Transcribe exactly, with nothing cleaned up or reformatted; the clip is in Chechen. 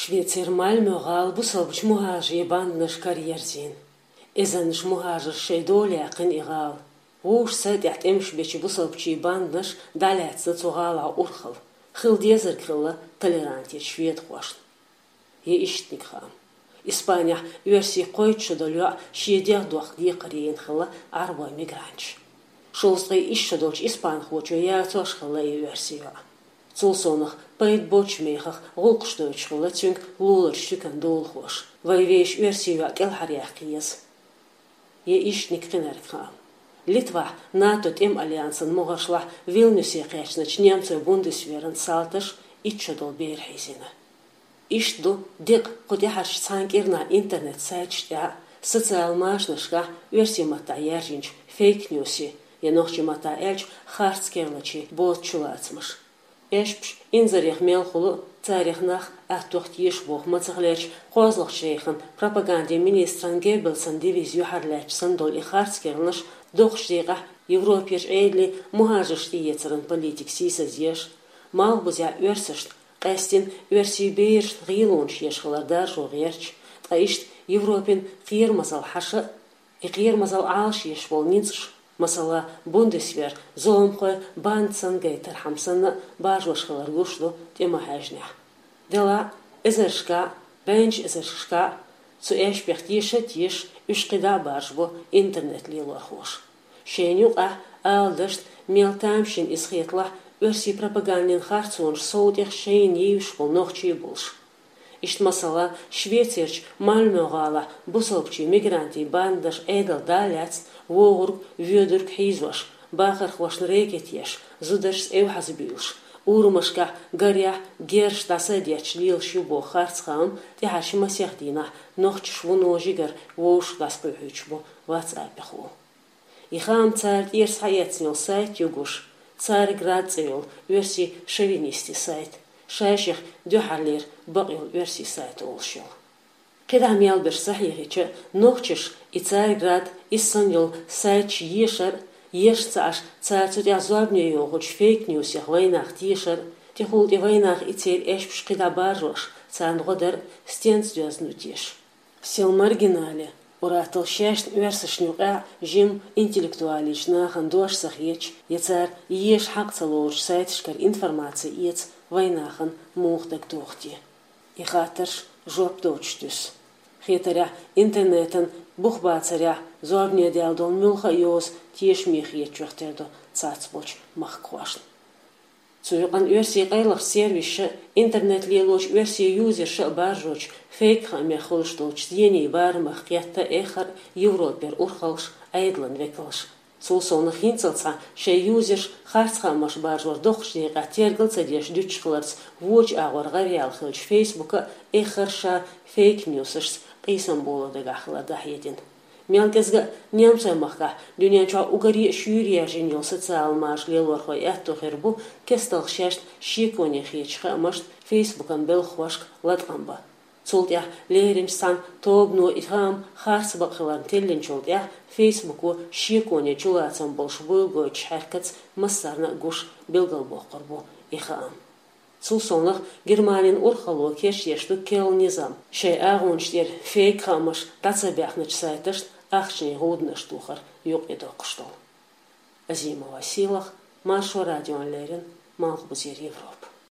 Швецера Мальмё гӀала бусалбачу мухӀажарийн бандаш караерзийна. Эзарнаш мухӀажарш шайн дола яьккхина и гӀала. Вовшашца тӀехь тӀемаш бечу бусалбачийн бандаш дӀалаьцна цу гӀалахь урхалла. Хила дезарг хилла толерантечу шведахошна. Я иштаниг хаам. Испанехь оьрсийн кхойтта шо долу йоӀ шен дегӀ дохка декхар яйна хилла Ӏарбойн мигранташа. Шовзткъе исс шо долчу испанхочо яцош хилла и оьрсийн йоӀ. Цул совнаха пайда боцчу мехах гӀуллакхаш дойтуш хилла цуьнга луларчу туьканан долахоша. Вайн вешан оьрсийн йоӀ кӀелхьаръяккха еза. Я иштаниг кхинарг хаам. Литвахь НАТО тӀеман альянсан могӀаршлахь Вильнюсе кхаьчначу немцойн бундесверан салташа итт шо долу бер хьийзийна. Иштта ду декъа кху тӀаьхьарчу цхьана кӀирнахь интернет-сайташ тӀехь а, социал машанашкахь а оьрсийн маттахь яьржинчу фейк-ньюсийн, я нохчийн маттахь аьлча харц керлачийн боцу чулацамаш. Эшпаш инзарех мел хуьлу, царех нах аттох теша боху мацах лерча кхозлагӀчу рейхан пропагандин министран Геббелсан девиз юьхьарлаьцча санна долу и харц керланаш доккхачу декъехь Европерчу Ӏедалан мухӀажарш тӀеэцаран политика сийсазъеш, малхбузехь оьрсашна, къаьстина оьрсийн берашна гӀелонаш еш хилар даржо гӀерташ, ткъа иштта Европин кхерамазалла хьаша а, и кхерамазалла Ӏалашъеш болу ницкъаш, масала, бундесвер, зуламхой банда санна гайтархьама санна а баржош хилар гуш ду тӀеман хьаьжнехь. Делахь а, эзаршкахь а, бӀеннаш эзаршкахь а цу эшпех теша а тешаш, уьш кхидӀа а баржабо интернет-лелорхоша. Шайна юкъахь, ала дашна, мел тамашийна иза хеталахь, оьрсийн пропагандин харцонаш сов тӀех шайна йийзаш болу нохчий а болуш. Иштта, масала, Швецерчу Мальмё гӀалахь бусалбачийн мигрантийн бандаш Ӏедал дӀа а лаьцна, вогӀург, воьдург хьийзош, бахархошна рэкеташ, зударшца эвхьаза буьйлуш, урамашкахь, гарехь, герзаш дӀасадетташ лелаш ю боху харц хаам тӀаьхьарчу масех дийнахь нохчаша вуно жигара вовшах дӀасакхоьхьуьйтуш бу WhatsApp-ехула. И хаам цара тӀера схьаэцна йолу сайт ю гуш, Царьград цӀе йолу оьрсийн шовинистийн сайт, шайших дуьххьарлера бакъйолу оьрсийн сайт олуш йолу. КхидӀа мел берш схьахьехийча, нохчаша и Царьград, и санна йолу сайташ ешар а, ешна ца Ӏаш, цара цу тӀехь зорбане йохучу фейк-ньюсех вайнах тешар а, тӀехула тӀе вайнах и церан эшпаш кхидӀа баржош, царна гӀо дар а стенца доьзна ду теша. Сел маргинале, ур-атталла шаьшна оьрсашна юкъахь а жимма интеллектуалечу нахана дош ца хеташ, я цара еша хьакъ ца лоцучу сайташкара информаци эца вайнахана муха дагадогӀу те? И хаттарш жоп доцуш туьсу. Хетарехь, интернетан бухбацарехь зорбане даьлла долу муьлхха а йоза тешаме хетачух тера ду цхьацболчу махкахошна. Цу юкъана оьрсийн къайлахчу сервисаша а, интернет лелочу оьрсийн юзерша а баржочу фейк-хаамех хуьлуш долчу зенийн барамах кхетта эххар а Европера урхаллаш, Ӏедалан векалш. Цул совнаха хӀинццалц цхьа шайн юзерш харц хаамаш баржор доккхачу декъехь тергал ца деш дуьтуш хиларца вочу агӀор гӀараяьлла хиллачу Facebook а эххар а ша фейк-ньюсашца къийсам боло дагахь хилар дӀахьедина. Мел кӀезга а немцойн махкахь дуьнен чохь уггаре а шуьйра яьржина йолу социал машанаш лелорхойн аьтто хир бу кестта шаьшна шеконе хетачу хаамашна Facebook-ан белхахошка латкъам бан. Цул тӀаьхьа леринчу цхьана тобано и хаам харц бакъ хиларна теллинчул тӀаьхьа Facebook-о шеконе чулацам болуш буйла гойтуш хьаьркаца массарна а гуш билгалбоккхур бу и хаам. Цул совнаха Германин урхалло кечдеш ду керла низам, шайн агӀонаш тӀера фейк-хаамаш дӀа ца баьхначу сайташна ахчанийн гӀуданаш тохар юкъа доккхуш долу. Азимова Сийлаха, Маршо радиона леррина, Малхбузера Европа.